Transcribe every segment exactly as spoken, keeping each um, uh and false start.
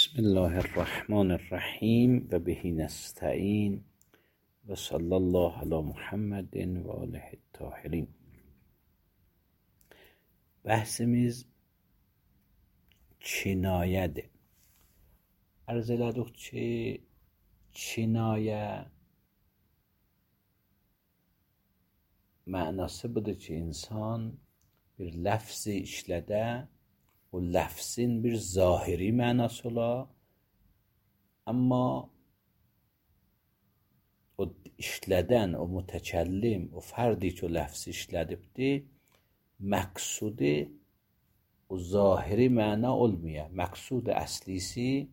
بسم الله الرحمن الرحیم و بهی نستعین و صلی الله علی محمد و آله الطاهرین. Bəhsimiz kinayədir. Arz elədik ki, kinayə mənası budur ki, insan bir ləfzi işlədə, o ləfzin bir zahiri mənası ola, amma o işlədən, o mütəkəllim, o fərdi ki, o ləfzi işlədibdir, məqsudi o zahiri məna olmuyor. Məqsud əslisi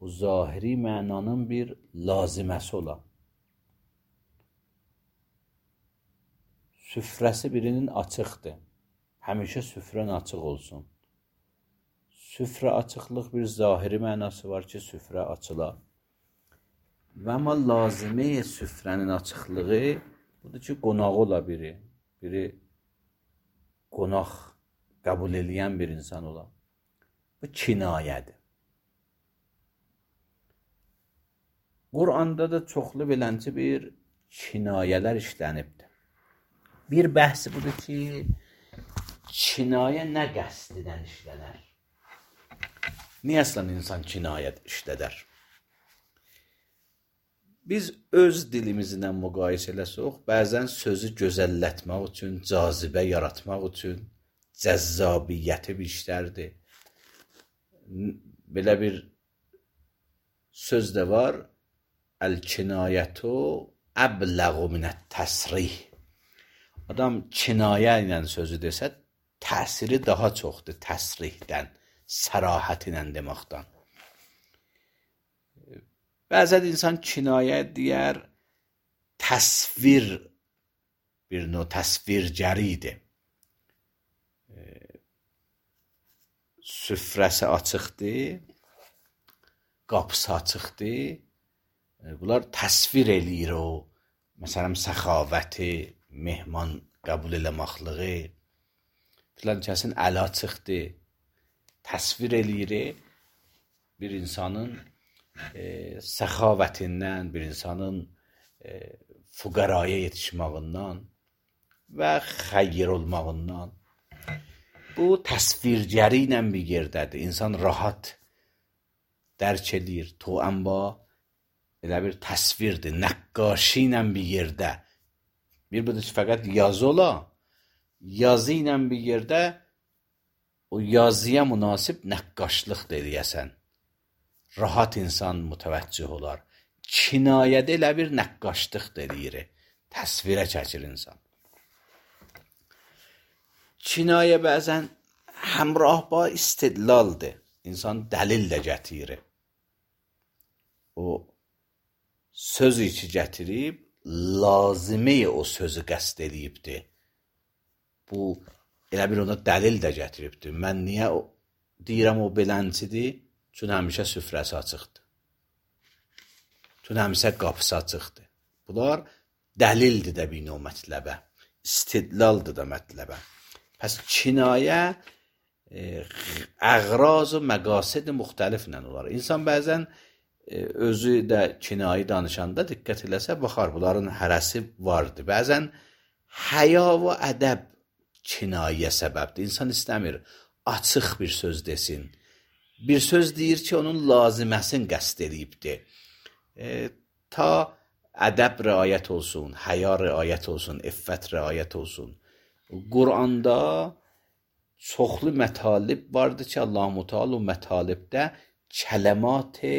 o zahiri mənanın bir laziməsi ola. Süfrəsi birinin açıqdır. Həmişə süfrən açıq olsun. Süfrə açıqlıq bir zahiri mənası var ki, süfrə açıla. Və amma lazimi süfrənin açıqlığı budur ki, qonaq ola biri. Biri qonaq qəbul eləyən bir insan ola. Bu kinayədir. Quranda da çoxlu beləncə bir kinayələr işlənibdir. Bir bəhsi budur ki, kinayə nə qəsdidən işlənər? Niyə əslən insan kinayət işlədər? Biz öz dilimizlə müqayisə eləsək, bəzən sözü gözəllətmək üçün, cazibə yaratmaq üçün, cəzzabiyyəti bir işlərdir. Belə bir söz də var, əl-kinayətu əbləğu minət-təsrih. Adam kinayə ilə sözü desə, təsiri daha çoxdur təsrihdən, sərahət ilə deməkdən. Bəzən insan kinayə deyər, təsvir, bir növ təsvirgəridir. Süfrəsi açıqdır, qapısı açıqdır. Bunlar təsvir eləyir o, məsələn, səxavəti, mehman qəbul eləməklığı, filan kəsin əli açıqdır. Təsvir eləyir bir insanın e, səxavətindən, bir insanın e, füqəraya yetişməğindən və xeyir olmağından. Bu təsvirgəri ilə bir yerdədir. İnsan rahat dərk edir. Tuənba elə bir təsvirdir. Nəqqaşi ilə bir yerdə. Bir budur ki, fəqət yazı ola. Yazı ilə bir yerdə o yazıya münasib nəqqaşlıq eləyəsən. Rahat insan mütəvəccüh olar. Kinayədə elə bir nəqqaşlıq eləyir. Təsvirə çəkir insan. Kinayə bəzən həmrah ba istidlaldır. İnsan dəlil də gətirir. O sözü ki gətirib, lazimi o sözü qəsd eləyibdir. Bu elə bir ona dəlil də gətiribdir. Mən niyə o, deyirəm o beləncidir? Çünki həmişə süfrəsi açıqdır. Çünki həmişə qapısı açıqdır. Bunlar dəlildir də bir növ mətləbə. İstidlaldır da mətləbə. Pəs kinayə e, əğraz və məqasid müxtəliflə olar. İnsan bəzən e, özü də kinayi danışanda diqqət eləsə, baxar, bunların hərəsi vardır. Bəzən həya və ədəb kinayə səbəbdir. İnsan istəmir, açıq bir söz desin. Bir söz deyir ki, onun laziməsini qəsd eləyibdir. E, ta ədəb rəayət olsun, həya rəayət olsun, iffət rəayət olsun. Quranda çoxlu mətalib vardır ki, Allah-u Teala o mətalibdə kələmat-ı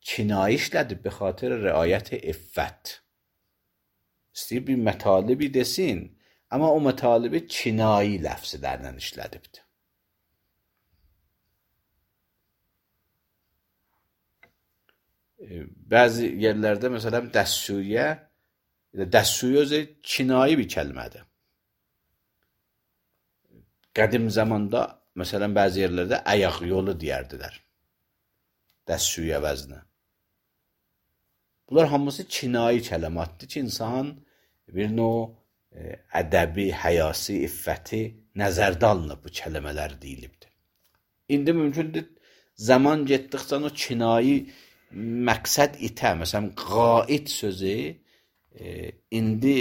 kinayə işlədib bi xatir rəayət iffət. İstəyir bir mətalibi desin, amma o mətalibi kinayi ləfzlərlə işlədibdir. Bəzi yerlərdə, məsələn, dəstsuyə, dəstsuyə özü kinayi bir kəlmədir. Qədim zamanda, məsələn, bəzi yerlərdə əyaq yolu deyərdilər. Dəstsuyə vəzinə. Bunlar hamısı kinayi kələmatdır ki, insan bir növ ədəbi, həyasi, iffəti nəzərdə alınıb bu kəlmələr deyilibdir. İndi mümkündür, zaman getdikcə o kinayi məqsəd itə, məsələn, qaid sözü e, indi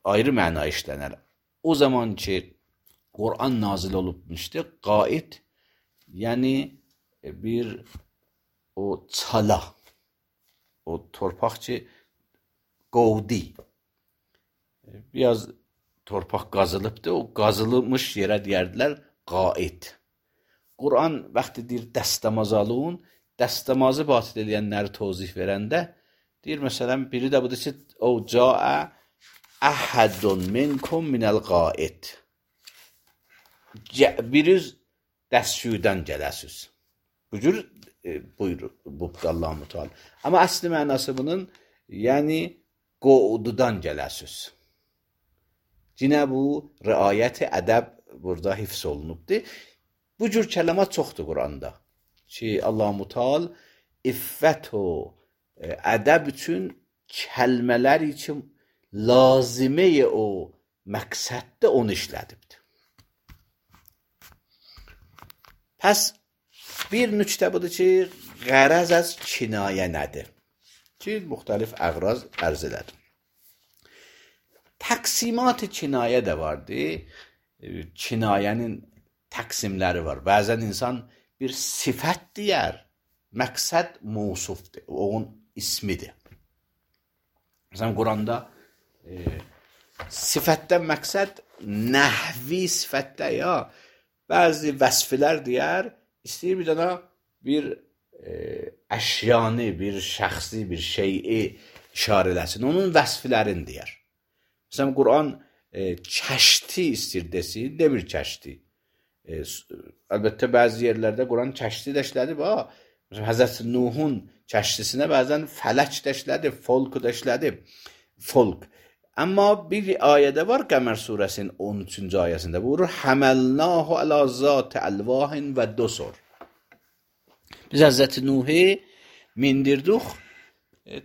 ayrı məna işlənər. O zaman ki, Qur'an nazil olubmuşdu, qaid, yəni bir o çala, o torpaq ki, qovdi. Biraz torpaq qazılıbdı, o qazılmış yerə deyərdilər qaid. Qur'an vaxtı deyir dəstəmaz alın, dəstəmazı batil eləyənləri tozih verəndə, deyir məsələn, biri də budur ki, o caə əhədun minkum minəl qaid. Biriz dəstşüydən gələsiz. Bu cür e, buyurur, bubda Allah-u Teala. Amma əsli mənası bunun, yəni qoğududan gələsiz. Yine bu riayət-i ədəb burada hifz olunubdur. Bu cür kələmat çoxdur Quranda. Ki Allah-u Teala iffət o ədəb üçün kəlmələr üçün lazimi o məqsəddə onu işlədibdir. Pəs bir nüktə budur ki, qərəz az kinayə nədir? Ki, müxtəlif əqraz ərz elədir. Təqsimat-ı kinayə də vardı. Kinayənin təqsimləri var. Bəzən insan bir sifət deyər, məqsəd mövsufdur, onun ismidir. Məsələn, Quranda e, sifətdən məqsəd nəhvi sifətdə ya, bəzi vəsfilər deyər, istəyir bir dana bir e, əşyanı, bir şəxsi, bir şeyi işarə eləsin. Onun vəsflərini deyər. Məsələn, Quran e, kəşti istəyir desin, demir kəşti. E, əlbəttə, bəzi yerlərdə Quran kəşti də işlədib. Məsələn, Həzrət Nuhun kəştisinə bəzən fələk də işlədib, folk da işlədib. Folk. Amma bir ayədə var Qəmər surəsinin on üçüncü ayəsində buyurur, Həməlnahu ələ zat-i əlvahin və dosor. Biz Həzrət Nuhi mindirdik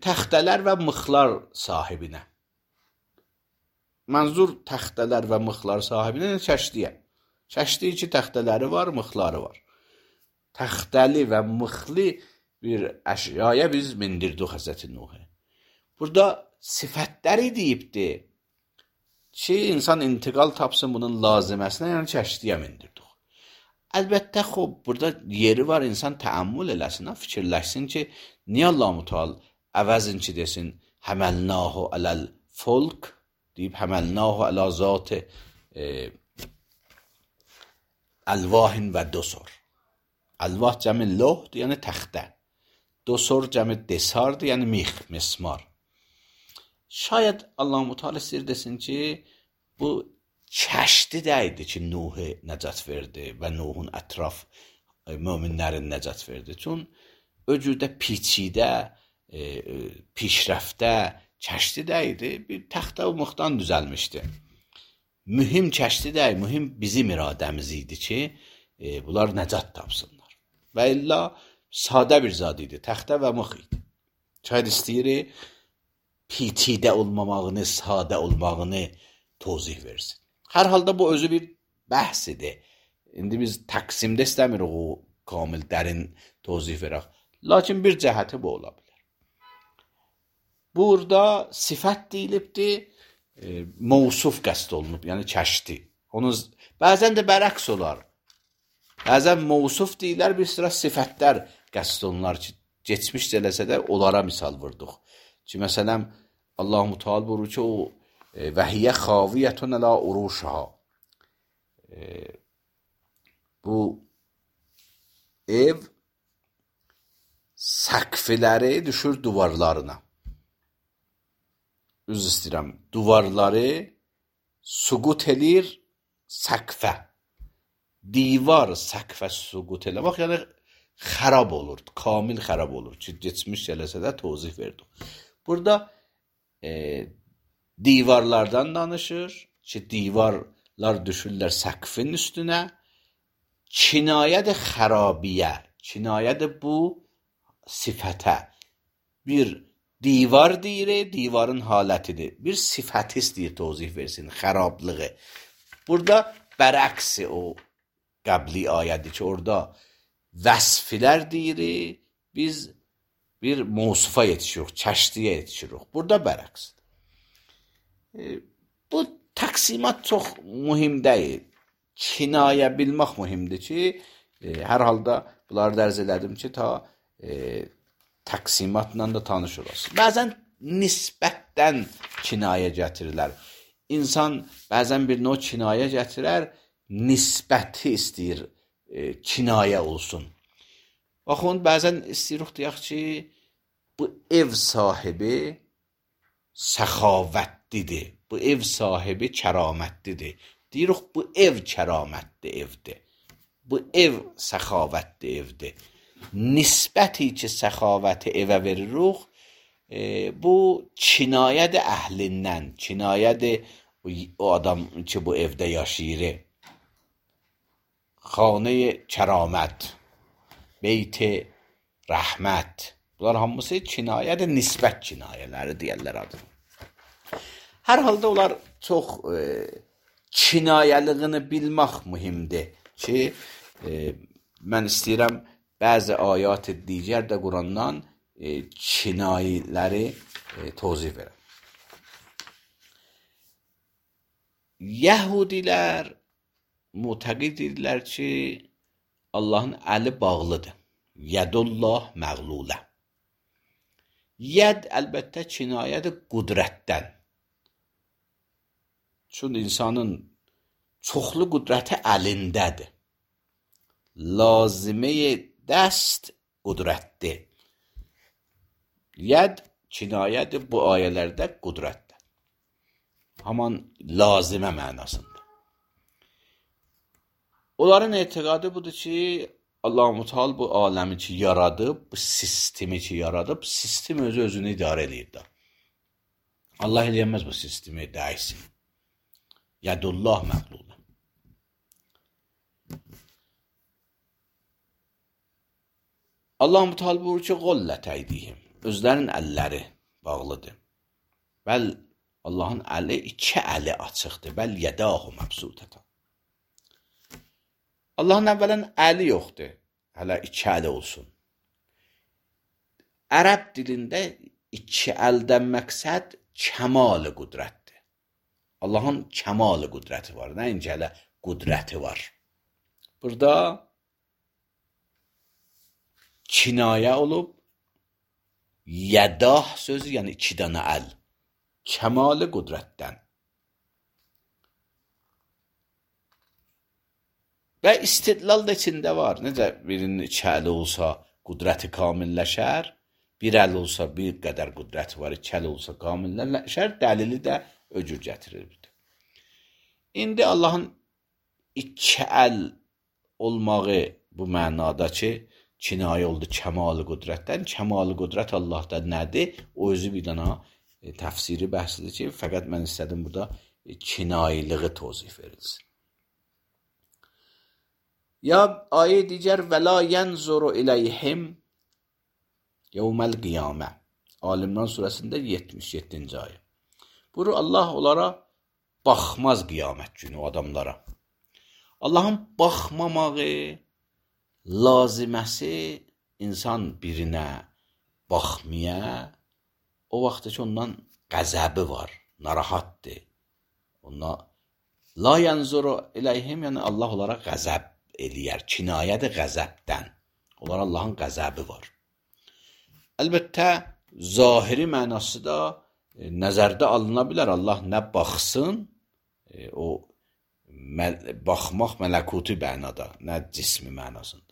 təxtələr və mıxlar sahibinə. Mənzur təxtələr və mıxlar sahibinə kəşdiyə. Kəşdi iki təxtələri var, mıxları var. Təxtəli və mıxli bir əşyaya biz mindirdik Həzrət Nuhi. Burada sifətləri deyibdir ki, insan intiqal tapsın bunun laziməsinə, yəni kəşdiyə mindirdik. Əlbəttə, xub, burada yeri var, insan təəmmül eləsin, fikirləşsin ki, niyə Allah-u Teala əvəzin ki, desin, həməlnahu ələl folk, deyib, həməlnahu ələ zat-i e, əlvahin və dosor. Əlvah cəmi lohdur, yəni təxtə. Dosor cəmi desardır, yəni mix, mismar. Şayət Allah-u Teala istəyir desin ki, bu kəşdi də idi ki, Nuh'u nəcat verdi və Nuh'un ətraf e, möminlərin nəcat verdi. Çün öcüdə piçidə, e, pişrəftdə, kəşdi də idi, bir təxtə və mıxdan düzəlmişdi. Mühim kəşdi də, mühim bizim iradəmiz idi ki, e, bunlar nəcat tapsınlar. Və illa sadə bir zad idi, təxtə və mıx idi. Şayət istəyir, pitidə olmamağını, sadə olmağını tozih versin. Hər halda bu özü bir bəhs idi. İndi biz təqsimdə istəmirik o kamil, dərin tozih verək. Lakin bir cəhəti bu ola bilər. Burada sifət deyilibdir, e, mövsuf qəsd olunub, yəni kəşdi. Onun, bəzən də bərəks olar. Bəzən mövsuf deyilər, bir sıra sifətlər qəsd olunlar ki, geçmiş eləsə də onlara misal vurduq. Ki, məsələn, Allah-u Teala buyurur ki, o və hiyə xaviyyətun ələ uruşha. E, bu ev səqfiləri düşür duvarlarına. Üz istəyirəm, duvarları suqut elir səqfə. Divar səqfə suqut eləmək, yəni xərab olur, kamil xərab olur ki, geçmiş eləsə də tozih verdik. Burada e, divarlardan danışır ki, divarlar düşürlər səqfin üstünə, kinayədir xərabiyə, kinayədir bu sifətə. Bir divar deyir, divarın halətidir. Bir sifəti istəyir tozih versin, xərablığı. Burada bərəksi o qəbli ayədir ki, orada vəsflər deyirik, biz bir mövsufa yetişirik, çəşdiyə yetişirik. Burada bərəqsdir. E, bu təqsimat çox mühim deyil. Kinayə bilmək mühimdir ki, e, hər halda bunları dərz elədim ki, ta e, təqsimatla da tanış olasın. Bəzən nisbətdən kinayə gətirirlər. İnsan bəzən bir növ kinayə gətirər, nisbəti istəyir, e, kinayə olsun. Baxın, bəzən istəyirik deyək ki, bu ev sahibi səxavətlidir, bu ev sahibi kəramətlidir. Deyirik, bu ev kəramətli evdir, bu ev səxavətli evdir. Nisbəti ki, səxavəti evə veririk, e, bu kinayədir əhlindən, kinayədir o adam ki, bu evdə yaşayır. Xanə kəramət, beyt rəhmət. Bunlar hamısı kinayədir, nisbət kinayələri deyərlər adını. Hər halda onlar çox e, kinayəliyini bilmək mühimdir ki, e, mən istəyirəm bəzi ayat digər də Qurandan e, kinayələri e, tozih verəm. Yəhudilər mütəqid edirlər ki, Allahın əli bağlıdır. Yədullah məğlulə. Yəd əlbəttə kinayədir qudrətdən. Çünki insanın çoxlu qudrəti əlindədir. Lazimə dəst qudrətdir. Yəd kinayədir bu ayələrdə qudrətdir. Haman lazimə mənasında. Onların etiqadı budur ki, Allah-u Teala bu aləmi ki yaradıb, bu sistemi ki yaradıb, sistem özü özünü idarə edir. Allah eləyəməz bu sistemi dəysin. Yədullah məğlulə. Allah-u Teala buyurur ki, qollet əydihim. Özlərinin əlləri bağlıdır. Bəl Allahın əli iki əli açıqdır. Bəl yədahu məbsutətən. Allahın əvvələn əli yoxdur. Hələ iki əli olsun. Ərəb dilində iki əldən məqsəd kəmal qudrətdir. Allahın kəmal qudrəti var. Nəinki hələ qudrəti var. Burada kinayə olub, yədah sözü, yəni iki dənə əl. Kəmal qudrətdən. Və istidlal da içində var. Necə birinin iki əli olsa qudrəti kamilləşər, bir əl olsa bir qədər qudrəti var, iki əl olsa kamilləşər, dəlili də öcür gətirir. İndi Allahın iki əl olmağı bu mənada ki, kinayə oldu kəmal qudrətdən. Kəmal qudrət Allahda nədir? O özü bir dana e, təfsiri bəhsidir ki, fəqət mən istədim burada e, kinayiliği tozih verilsin. Ya ayə digər və la yənzuru iləyhim yevməl qiyamə. Alimran surəsində yetmiş yeddinci ayə. Buyurur, Allah onlara baxmaz qiyamət günü o adamlara. Allahın baxmamağı laziməsi insan birinə baxmaya, o vaxtda ki ondan qəzəbi var, narahatdır. Ona la yənzuru iləyhim, yəni Allah onlara qəzəb eləyər, kinayədir qəzəbdən. Onlar Allahın qəzəbi var. Əlbəttə, zahiri mənası da e, nəzərdə alına bilər. Allah nə baxsın, e, o məl baxmaq mələkuti mənada, nə cismi mənasında.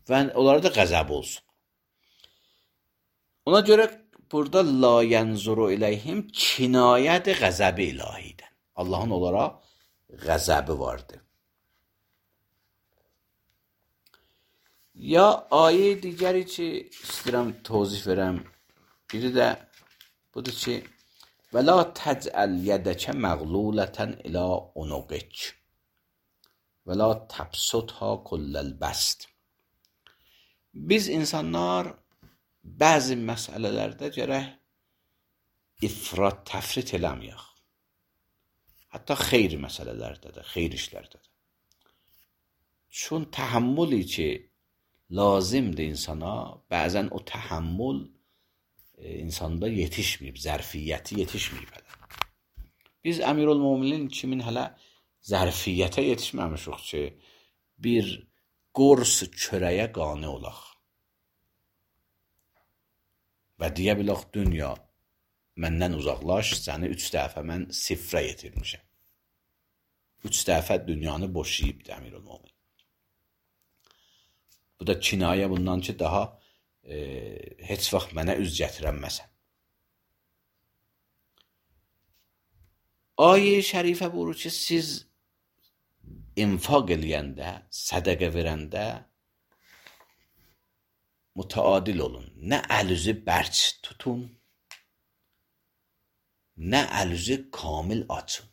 Və onlara da qəzəb olsun. Ona görə burada la yənzuru iləyhim kinayədir qəzəbi ilahidən. Allahın onlara qəzəbi vardır. Ya ayə digəri ki, istəyirəm tozih verəm, biri də budur ki, və la təcəl yədəkə məğlulətən ilə unuqik və la təbsutha kulləl bəst. Biz insanlar bəzi məsələlərdə gərək ifrat, təfrit eləməyək. Hətta xeyri məsələlərdə də, xeyr işlərdə də. Çün təhəmmüli ki, lazımdır insana. Bəzən o təhəmmül e, insanda yetişməyib, zərfiyyəti yetişməyib hələ. Biz Əmirülmöminin kimin hələ zərfiyyətə yetişməmişik ki, bir qors çörəyə qane olaq. Və deyə bilək, dünya məndən uzaqlaş, səni üç dəfə mən sifrə yetirmişəm. Üç dəfə dünyanı boşayıbdır Əmirülmömin. Bu da kinayə bundan ki, daha e, heç vaxt mənə üz gətirənməsən. Ayə-i şərifə buyurur ki, siz infaq eləyəndə, sədəqə verəndə mütəadil olun. Nə əlüzü bərk tutun, nə əlüzü kamil açın.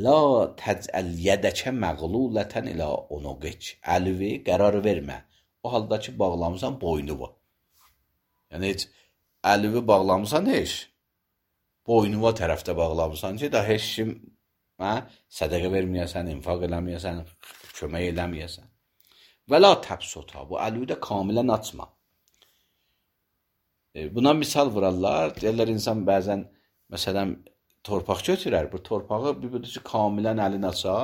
La təcəl yədəkə məğlulətən ilə onuqic. Əlüvi qərar vermə. O halda ki, bağlamısan boynuva. Yəni, heç əlüvi bağlamısan heç, boynuva tərəfdə bağlamısan ki, da heç kim hə, sədəqə verməyəsən, infaq eləməyəsən, kömək eləməyəsən. Və la təbsota, bu əlüvi də kamilən açma. E, buna misal vurarlar, deyirlər insan bəzən, məsələn, torpaq götürər, bu torpağı bir budur ki, kamilən əlin aça,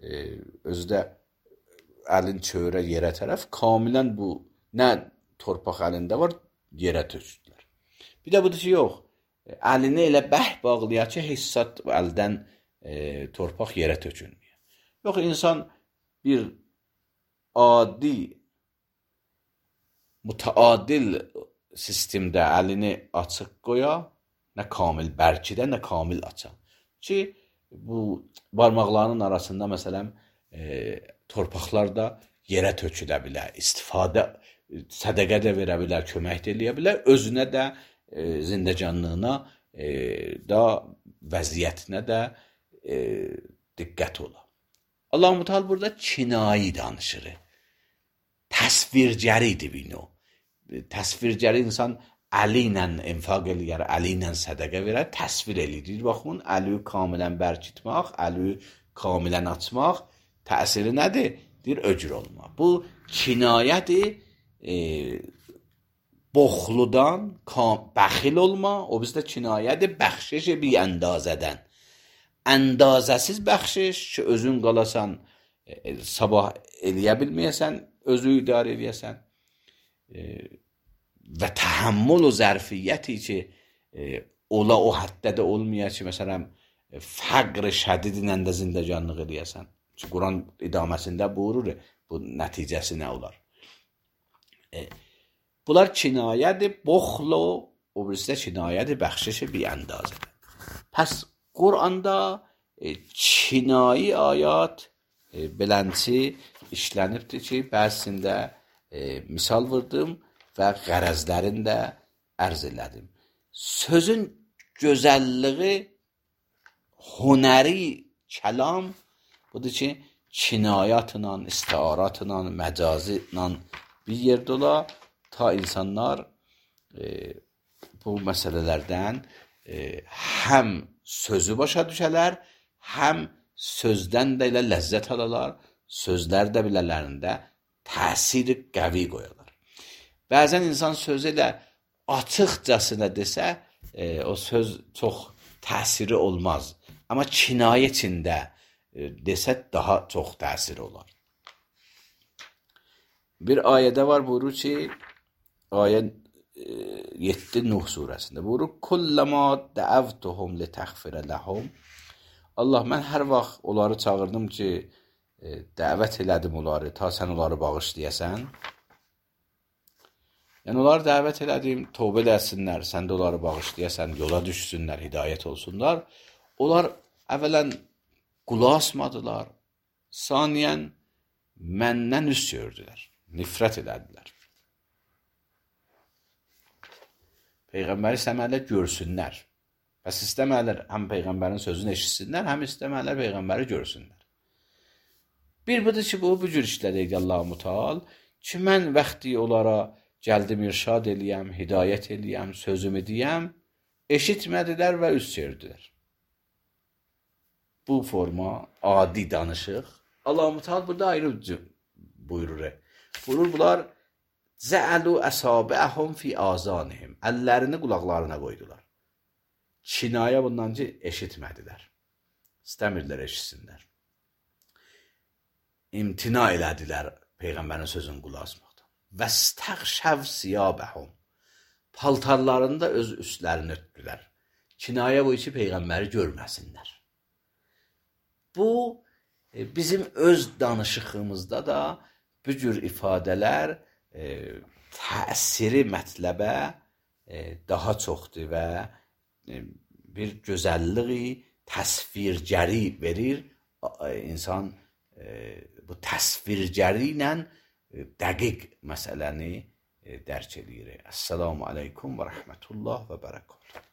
e, özü də əlin çövrə yerə tərəf, kamilən bu, nə torpaq əlində var, yerə tökdülər. Bir də budur ki, yox, əlini elə bəh bağlayar ki, hissat əldən e, torpaq yerə tökülmüyor. Yox, insan bir adi, mütəadil sistemdə əlini açıq qoya, nə kamil bərkidə, nə kamil aça. Ki, bu barmaqlarının arasında, məsələn, e, torpaqlar da yerə tökülə bilər, istifadə, sədəqə də verə bilər, kömək də eləyə bilər, özünə də, e, zindəcanlığına e, da, vəziyyətinə də e, diqqət ola. Allah-u Teala burada kinayi danışır. Təsvirgəridir bunu. Təsvirgəri insan əli ilə infaq eləyər, əli ilə sədəqə verər, təsvir eləyir. Baxın, əli kamilən bərkitmək, əli kamilən açmaq, təsiri nədir? Deyir, öcür olma. Bu kinayədir, e, boxludan, bəxil olma, o bizdə kinayədir, bəxşiş bir əndazədən. Əndazəsiz bəxşiş ki, özün qalasan, e, sabah eləyə bilməyəsən, özü idarə eləyəsən. E, və təhəmmül o zərfiyyəti ki, e, ola o həddə də olmaya ki, məsələn, fəqr şədidinlə də zindəcanlıq eləyəsən. Quran idaməsində buyurur, bu nəticəsi nə olar? E, bunlar kinayədir, boxlu, o birisi də kinayədir, bəxşişi bir əndazədir. Pəs Quranda e, kinayi ayat e, belənçi işlənibdir ki, bəzisində e, misal vurdum və qərəzlərini də ərz elədim. Sözün gözəlliyi, hünəri kəlam budur ki, kinayatla, istiaratla, məcazla bir yerdə ola, ta insanlar e, bu məsələlərdən e, həm sözü başa düşələr, həm sözdən də ilə ləzzət alalar, sözlər də bilələrində təsiri qəvi qoyarlar. Bəzən insan sözü ilə açıqcasına desə, e, o söz çox təsiri olmaz. Amma kinayə içində desə daha çox təsir olar. Bir ayədə var, buyurur ki, ayə yeddi Nuh surəsində buyurur, Kulləmə dəəvtuhum litəxfirə ləhum. Allah, mən hər vaxt onları çağırdım ki, dəvət elədim onları, ta sən onları bağışlayəsən. Yəni, onları dəvət elədim, tövbə eləsinlər, sən də onları bağışlayəsən, yola düşsünlər, hidayət olsunlar. Onlar əvvələn qulaq asmadılar, saniyən məndən üz gördülər, nifrət elədilər. Peyğəmbəri istəməklə görsünlər. Bəs istəməklər həm Peyğəmbərin sözünü eşitsinlər, həm istəməklər Peyğəmbəri görsünlər. Bir budur ki, bu, bu cür işlədəydi Allah-u Teala ki, mən vaxtı onlara gəldim, irşad eləyəm, hidayət eləyəm, sözümü deyəm, eşitmədilər və üz çevirdilər. Bu forma adi danışıq. Allah-u Teala burada ayrı buyurur. Buyurur bunlar Zəəlu əsabəəhum fi azanihim. Əllərini qulaqlarına qoydular. Kinayə bundan ki, eşitmədilər. İstəmirdilər eşitsinlər. İmtina elədilər Peyğəmbərin sözünü qulaq asmaqdan. Vəstəxşəv siyabəhum. Paltarlarında öz üstlərini örtdülər. Kinayə bu ki, Peyğəmbəri görməsinlər. Bu, bizim öz danışığımızda da bu cür ifadələr e, təsiri mətləbə e, daha çoxdur və e, bir gözəlliyi təsvirgəri verir. E, insan e, bu təsvirgəri ilə e, dəqiq məsələni e, dərk edir. Əssalamu aleykum və rəhmətullah və bərəkatuhu.